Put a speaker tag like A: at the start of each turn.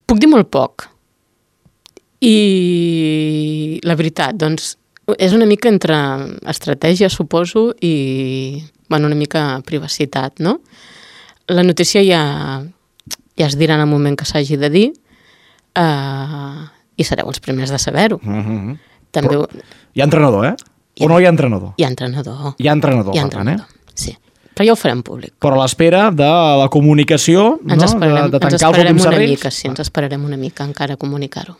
A: Puc dir molt poc. I la veritat, doncs, és una mica entre estratègia, suposo, i una mica privacitat, no? La notícia ja es dirà en el moment que s'hagi de dir i sereu els primers de saber-ho. També...
B: Però hi ha entrenador, O no hi ha entrenador?
A: Hi ha entrenador.
B: Hi ha entrenador, per tant,
A: Sí. Però ja ho farem públic.
B: Però a l'espera de la comunicació,
A: ens esperarem
B: de tancar els últims serrells...
A: Ens esperarem una mica encara a comunicar-ho.